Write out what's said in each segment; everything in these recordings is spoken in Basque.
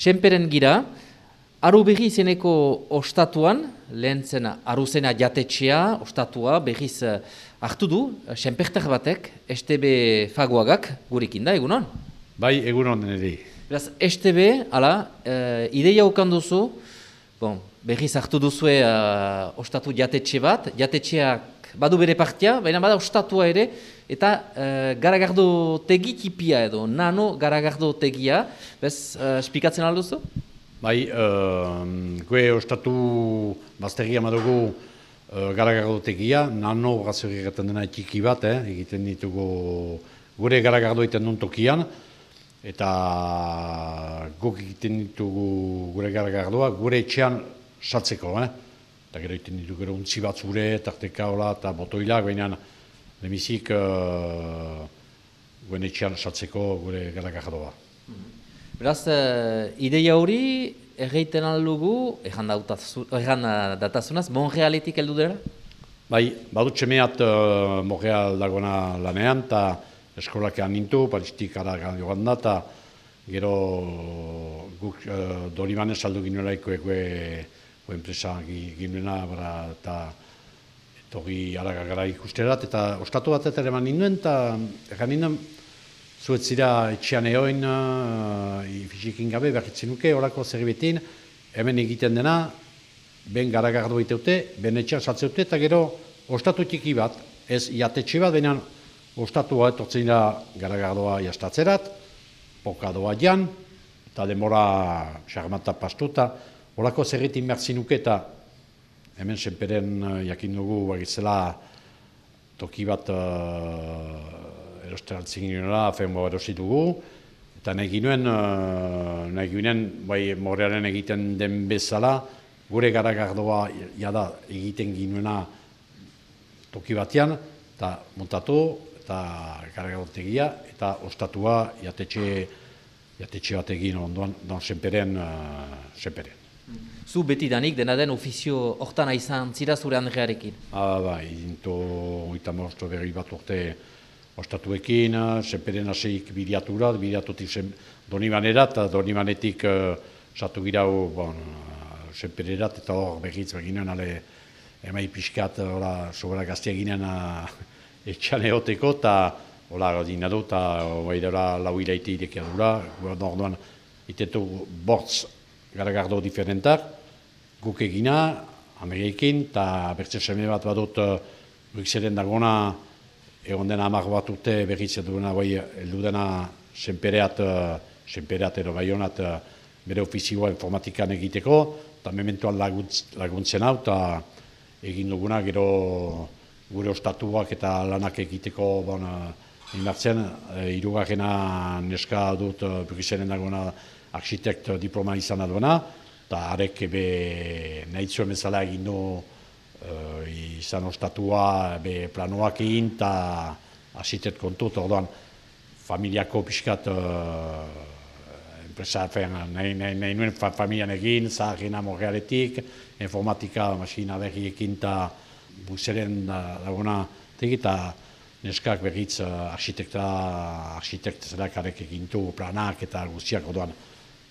Senperen gira, aru berri izeneko ostatuan, lehen zen aruzena jatetxea, ostatua berriz hartu du, senpertar batek, STB Fagoagak gurekin da, egunon? Bai, egunon niri. Beraz, STB, ideia ukan duzu, berriz hartu duzue ostatu jatetxe bat, jatetxeak badu bere partia, baina bada ostatua ere, eta garagardo tegi tipia edo, nano garagardo tegia, bez, espikatzen alduzu? Bai, gue ostatu bazterria madugu garagardo tegia, nano gazori egiten dena txiki bat, egiten ditugu gure garagardo egiten duen tokian, eta guk egiten ditugu gure garagardoa, gure etxean satzeko, eta gero egiten ditugu gero untzi bat zure, tarteka hola, eta botoilak, baina lemizik gure etxean satzeko gure garagardoa. Beraz, ideia hori erreiten aldugu, erran datazunaz, Montrealetik heldu dira? Bai, badut semeat Montreal dagoena lanean, eta eskolakean nintu, palistik ara joan da, eta gero guk Dorimanen saldu ginuelaiko enpresa ginuena, eta etorri gara ikusterat, eta ostatu bat eta eman ninduen, eta erran ninduen, zuet zira etxean eoin, fizikin gabe, berritzen nuke, horako zerribetin, hemen egiten dena, ben garagardo iteute, ben etxean saltzeute, eta gero ostatu txiki bat, ez jatetxe bat, baina ostatua etortzen dira garagardoa jastatzerat, pokadoa jan, eta demora xarmata pastu, eta horako zerritin bertzin nuke, eta hemen senperen jakin dugu, bagizela toki bat erosteraltzen ginela, afenbo erosi dugu, eta nahi ginen, bai, Montrealen egiten den bezala, gure garagardoa jada egiten ginuena toki batean, eta montatu, eta garagardotegia, eta ostatua jatetxe bat egin ondoan, senperen. Zu beti danik, dena den ofizio hortan izan zira zure Andrearekin? Bai, dinto oita mosto berri bat urte ostatuekin, senperen haseik bidiatutik Donimanera, eta Donimanetik satu girau senpererat, eta hor berriz beginen, emai pixkat, sobera gaztea ginen etxan eoteko, eta hola dina du, eta lau hilaite irekia dura, orduan itetu bortz garagardo diferentak, guk egina, Amerikekin, eta bertze seme bat badut Bruxellen dagona, egon dena 10 bat urte berriz duena, heldu dena senpereat edo baionat bere ofizioa informatikan egiteko, eta mementoan laguntzen hau, eta egin duguna gero gure ostatuak eta lanak egiteko indartzen, hirugarrena neska dut Bruxellen dagona architekt diploma izan duena, eta harek nahi zuen bezala egin du izan ostatua planoak egin, eta asitet kontut, orduan familiako pixkat enpresa, nahi nuen familian egin, zaharrena Montrealetik, informatika, masina berriekin, eta Bruxellen dagona tegi, eta neskak berriz architekt zelak harek egintu planak eta guztiak, orduan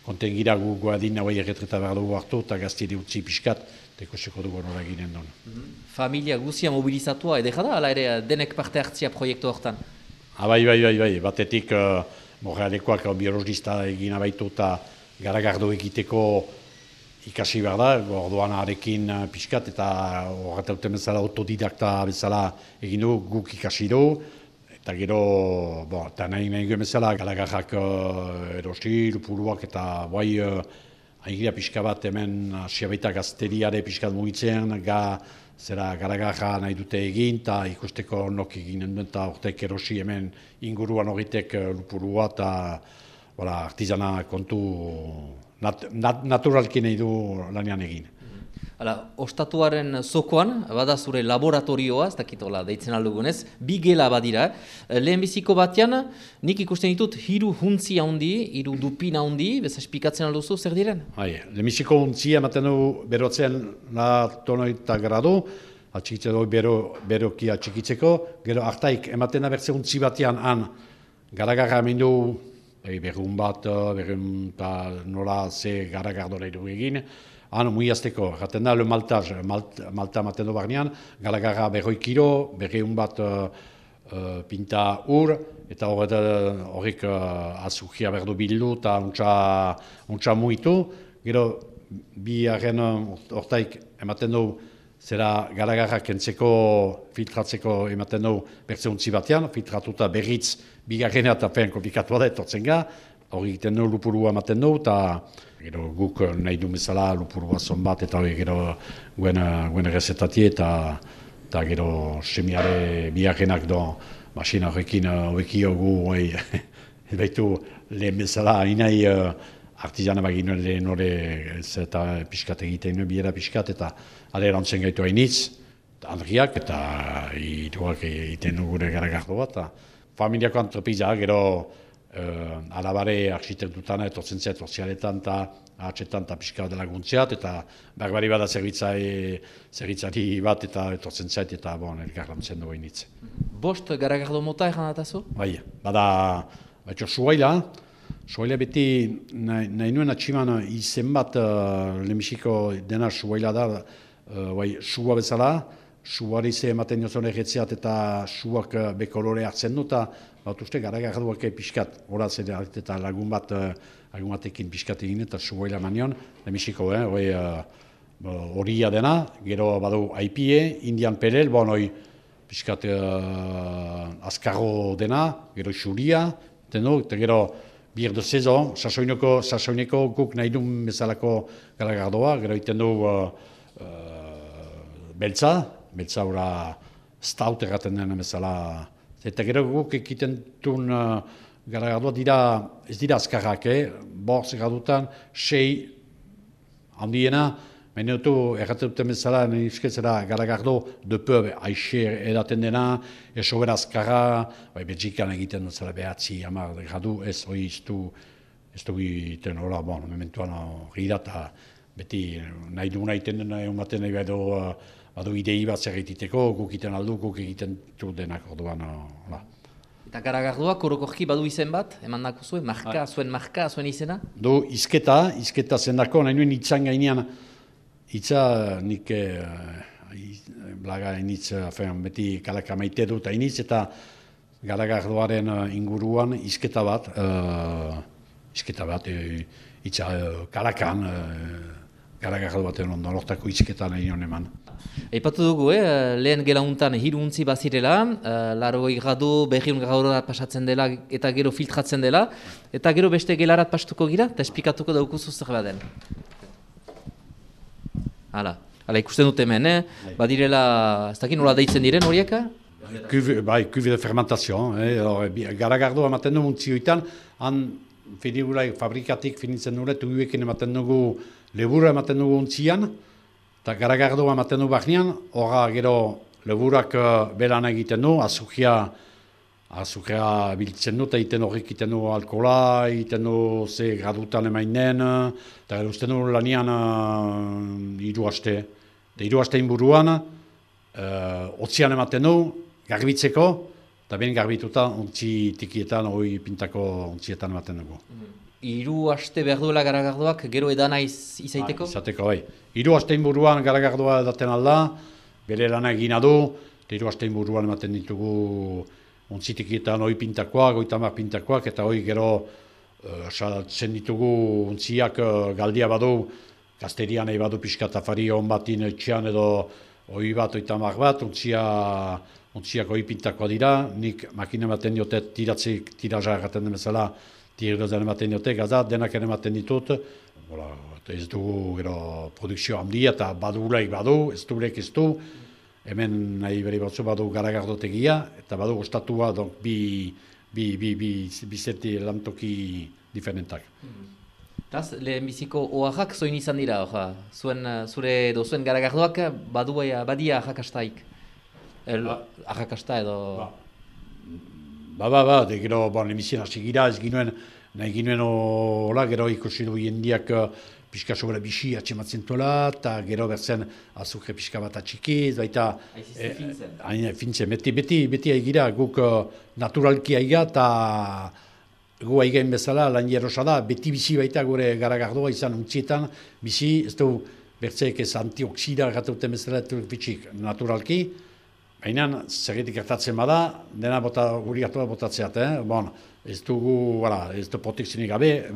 konten gira gu goadin nahi erretreta behar dugu hartu, eta gaztiri utzi pixkat, teko seko dugu nora ginen duen. Familia guztia mobilizatua edera da, ala ere denek parte hartzia proiektu hortan? Bai, batetik Montrealekoak biologista egin abaitu eta garagardo egiteko ikasi behar da, orduan arekin pixkat, eta horretauten bezala autodidakta bezala egin du, guk ikasi du, eta gero, eta nahi guen bezala, garagarrak erosi, lupuruak, eta bai, haigira pixka bat hemen asiabaita gazteriare pixkat mugitzen, zera garagarra nahi dute egin, eta ikusteko nok eginen duen, eta hortek erosi hemen inguruan horretek lupurua, eta artizana kontu naturalki nahi du lanean egin. Ostatuaren zokoan, bada zure laboratorioa, ez dakitola deitzen aldugunez, bi gela badira. Lehenbiziko batean, nik ikusten ditut hiru huntzi handi, hiru dupin handi, bez espikatzen alduzu, zer diren? Lehenbiziko huntzi ematen du berotzen tonoita gradu, atxikitzen du berokia atxikitzeko, gero hartaik ematen da bertze huntzi batean han garagarra hemen du berrun bat, berrun eta nola ze garagardo nahi dugu egin. Han, muiazteko, jaten da, le maltaz, malta maten du barnean, galagarra 100 kilo, berrun bat pinta ur, eta horrek azukria berdu bildu eta untsa muitu. Gero, bi haren hortaik ematen du, zera garagarra kentzeko, filtratzeko ematen du bertzeuntzi batean, filtratuta berriz bigarrena eta fen komplikatua da etortzen ga, hori egiten du lupurua ematen du, eta gero guk nahi du bezala lupurua zon bat, eta hori gero guen errezetatie, eta gero semiare bigarrenak do masina horrekin hobekio gu, baitu lehen bezala, inai artizana bagin lehen hori eta pixkat egiten biera pixkat, eta ale erantzen gaitu hainitz, Andriak eta iruak egiten gure garagardo bat. Familiako antropizia, gero alabare arkitektutan etortzen zait sozialetan eta atxetan eta pixka dela guntziat, eta berbari bada zerbitzari bat eta etortzen zait eta elkarlantzen du hainitz. Bost garagardo mota egan datazu? Bai, bada suaila beti nahi nuen atximan izen bat lehenbiziko dena suaila da, sua bezala, suari ze ematen jozon erretzeat eta suak bekolore hartzen du, eta bat uste garagarduak pixkat, horaz eta lagun batekin pixkat egin eta suaila manion, lehenbiziko, horia dena, gero badu aipie, indian perel, hoi pixkat azkarro dena, gero xuria, eta gero bir de sezon, sasoineko guk nahi duen bezalako garagardoa, gero iten du beltza ora stout erraten dena bezala. Eta gero guk ekiten duen garagardoa ez dira azkarrak, borz gradutan, 6 handiena, baina dutu erraten duten bezala, nizketzera garagardo de peu aixe edaten dena, esobera azkarra, Belgikan egiten dut zela behatzi, 10 gradu, ez hori ez du egiten hola, mementuan hori da, eta beti nahi duguna egiten dena, ematen nahi badu idei bat zer egiteko, guk egiten aldu, guk egiten du denak orduan. Eta garagardoak orokorki badu izen bat, eman dako zuen, zuen izena? Du, izketa zendako, nahi nuen itzan gainean, itza nik blaga initz, beti kalaka maite dut initz, eta garagardoaren inguruan izketa bat, itza kalakan, garagardo baten ondo, lortako izketa nahi nuen eman. Eipatu dugu, lehen gelauntan hiru untzi bazirela, 80 gradu, 100 gradurat pasatzen dela eta gero filtratzen dela, eta gero beste gelarat pastuko gira, eta esplikatuko daukuzu zer baden. Hala, ikusten dut hemen, badirela, ez dakit nola deitzen diren horieka? Cuve de fermentation, garagardoa ematen du muntzioetan, han fabrikatik finitzen dure, tuguekin ematen dugu, lebura ematen dugu untzian, eta garagardoa ematen du bahnean, horra gero leburak belan egiten du, azukria biltzen du, eta egiten horrek egiten du alkohola, egiten du ze gradutan emainen, eta gero usten du lanian 3 aste. Eta 3 aste inburuan, otzian ematen du, garbitzeko, eta ben garbituta ontzi tikietan, hori pintako ontzietan ematen dugu. 3 aste behar duela garagardoak gero edana izaiteko? Izateko, bai. 3 aste inburuan garagardoa edaten alda, bere lana egina du, eta 3 aste inburuan ematen ditugu ontzi tikietan hori pintakoak, 30 pintakoak, eta hori gero saltzen ditugu ontziak galdia badu, gazterian nahi badu pixkat afari hon batin etxean edo hori bat, 30 bat, ontziak hori pintakoa dira, nik makina ematen diote tiraza erraten den bezala, tirgazan ematen diote, gaza, denak ematen ditut, ez dugu gero produkzio handia eta badulaik badu, ez du, hemen nahi beri batzu badu garagardotegia, eta badu ostatua bi zerti lantoki diferentak. Taz, lehenbiziko oaxak zoin izan dira, zuen garagardoak badia ahakastaik? Ahakasta edo... de gero, lehenbizien hasi gira, ez ginuen, nahi ginuen hola, gero ikusi du jendiak pixka sobera bixi atxematzen tola, eta gero berzen azukre pixka bat atxiki, baita... Fintzen. Beti aigira, guk naturalki aiga, eta gu aigein bezala, lan jerosa da, beti bizi baita gure garagardoa izan untzietan, bizi, ez du bertzeek ez antioksida erratuten bezala bitxik naturalki, baina zerretik gertatzen bada, dena guri hartua botatzeat, bon, ez dugu, ez du protekzionik gabe,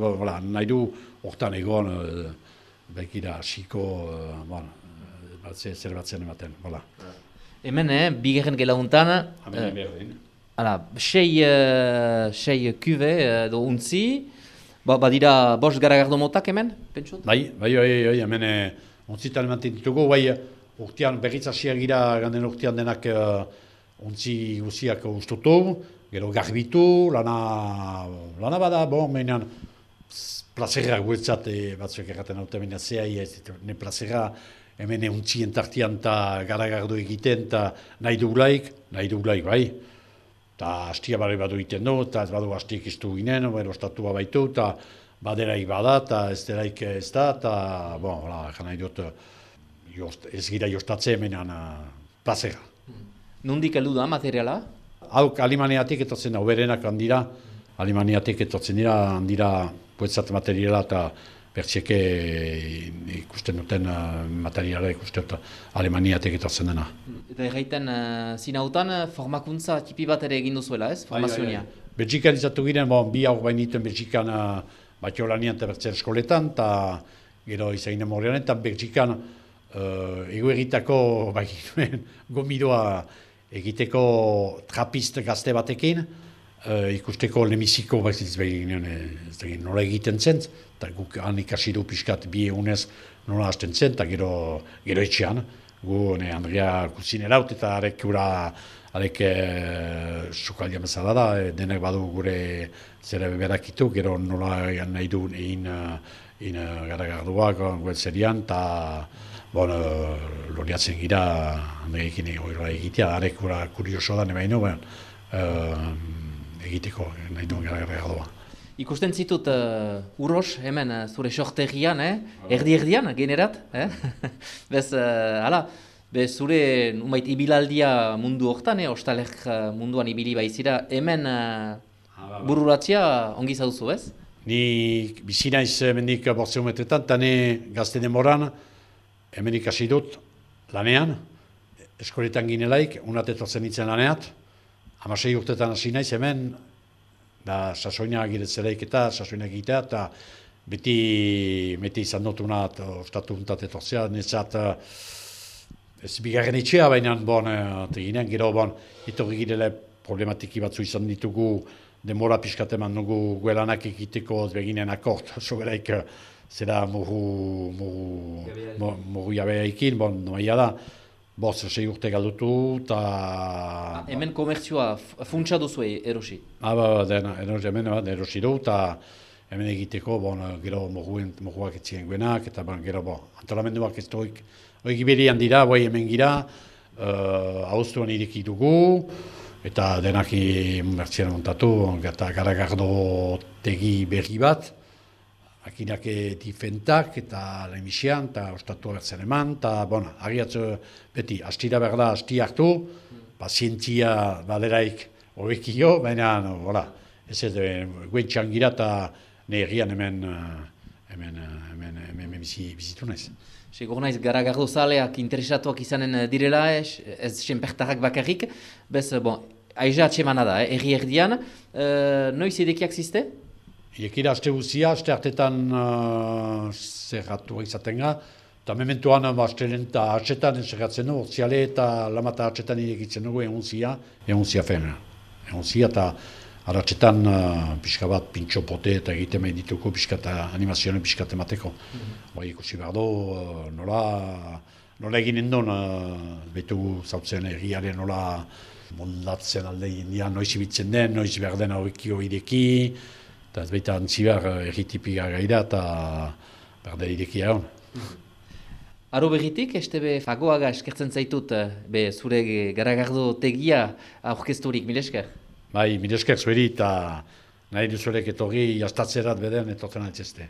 nahi du hortan egon, bekira, xiko, zer batzen ematen, Hemen, bigarren gelauntan, sei kube edo untzi, badira bost garagardo motak hemen, pentsut? Bai, hemen untzitan ematen ditugu, urtean berriz hasiak gira, ganden urtean denak untzi guziak ustutu, gero garbitu, lana bada, menean plazerra guetzat batzuek erraten haute menean zehai, ne plazerra hemen untzien tartian eta garagardo egiten, eta nahi dugulaik, bai. Eta hastia barri badu egiten du, eta ez badu hastiek iztu ginen, ostatua baitu, eta baderaik bada, eta ez deraik ez da, eta, nahi dut, ez gira jostatze hemenan plazera. Nondik heldu da materiala? Hauk Alemaniatik etortzen da, oberenak handira, Alemaniatik etortzen handira puetzat materiala, eta bertxeke ikusten duten materiala ikusten dut Alemaniatik etortzen dena. Eta erraiten zinautan formakuntza tipi bat ere egin duzuela, ez? Formazionia. Belgikan izatu giren, bi haur bainiten Belgikan Batiolanian eta bertzer eskoletan, eta gero izaginen morrean, eta Belgikan egoeritako gomidoa egiteko trapist gazte batekin, ikusteko lemiziko nola egiten zen, eta guk han ikasi du pixkat bi egunez nola hasten zen, eta gero etxean, gu Andrea kuzineraut eta arek sukaldia bezala da, denek badu gure zera berakitu, gero nola nahi du egin garagarduak guetzerian, eta loriatzen gira Andreekin egitea, arek kurioso da nebaino, egiteko nahi duen garagardoa. Ikusten zitut Uros hemen zure sortegian, erdi-erdian generat. Bez, zure umait ibilaldia mundu hortan, ostalek munduan ibili baizira, hemen bururatzia ongi zauzu, ez? Ni bizi naiz hemendik 5 metretan, eta ne gazte demoran hemen ikasi dut lanean, eskoletan ginelaik, unat etortzen nintzen laneat, 16 urtetan hasi naiz hemen, sasoina giretzelaik eta sasoina egitea, eta beti izan dut unat, ostatu untat etortzea, netzat ez bigarren etxea, baina ginen, gero etorri girele problematiki batzu izan ditugu, demora pixkat eman dugu guelanak egiteko beginen akort, soberaik zera murru jabeaikin, noia da, 6 urte galdutu, eta... Hemen komertzioa funtsa duzu erosi? Hemen erosi du, eta hemen egiteko, gero murruak etzien guenak, eta gero antolamenduak ez doik, egiberian dira, hemen gira, hauztuan ireki dugu, eta denak mertzian montatu, eta garagardo tegi berri bat, akinak difentak eta lemisian, eta ostatua bertzen eman, eta agiatzu beti, astira berda, asti hartu, pazientzia baderaik horrekio, baina, ez guentxan gira eta neherrian hemen bizitu naiz. Segur naiz, garagardo zaleak interesatuak izanen direla, ez senpertarrak bakarrik, bez, aiza atxemana da, erdi-erdian, noiz edekiak ziste? Iekira aste guzia, aste hartetan zerratu izaten ga, eta mementoan astelen eta atxetan zerratzen du, orziale eta lamata atxetan irekitzen dugu egunzia femena. Egunzia eta aratxetan pixka bat pintxo pote eta egiten nahi dituko pixka eta animazioen pixka emateko. Ikusi behar du, nola eginen duen, betu zautzen erriaren nola moldatzen alde indian, noiz ibitzen den, noiz behar den horrekio ideki, eta ez baita antzibar erritipika gaira eta berde irekia hon. Aro berritik, estebe fagoaga eskertzen zaitut zure garagardo tegia aurkezturik, mil esker? Bai, mil esker zueri eta nahi duzuelek etorri jastatzerat beden etortzen altzeste.